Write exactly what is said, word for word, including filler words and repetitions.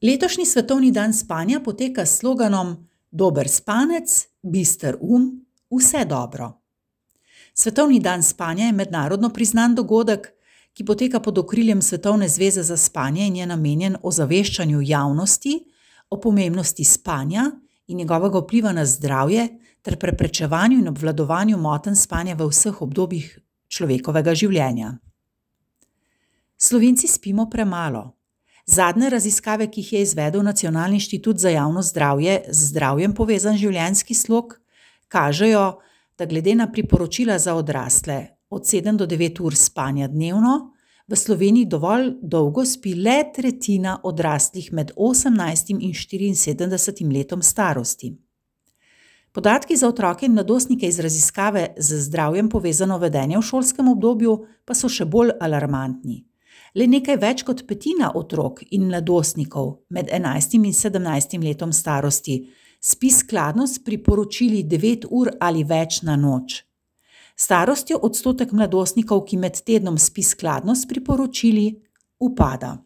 Letošnji svetovni dan spanja poteka s sloganom Dober spanec, bister um, vse dobro. Svetovni dan spanja je mednarodno priznan dogodek, ki poteka pod okriljem Svetovne zveze za spanje in je namenjen ozaveščanju javnosti o pomembnosti spanja in njegovega vpliva na zdravje ter preprečevanju in obvladovanju motenj spanja v vseh obdobjih človekovega življenja. Slovenci spimo premalo. Zadnje raziskave, ki jih je izvedel Nacionalni inštitut za javno zdravje z zdravjem povezan življenjski slog, kažejo, da glede na priporočila za odrasle od sedem do devet ur spanja dnevno, v Sloveniji dovolj dolgo spi le tretjina odraslih med osemnajstim in štiriinsedemdesetim letom starosti. Podatki za otroke in mladostnike iz raziskave z zdravjem povezano vedenje v šolskem obdobju pa so še bolj alarmantni. Le nekaj več kot petina otrok in mladostnikov med enajstim in sedemnajstim letom starosti spi skladno s priporočili devet ur ali več na noč. S starostjo odstotek mladostnikov, ki med tednom spi skladno s priporočili, upada.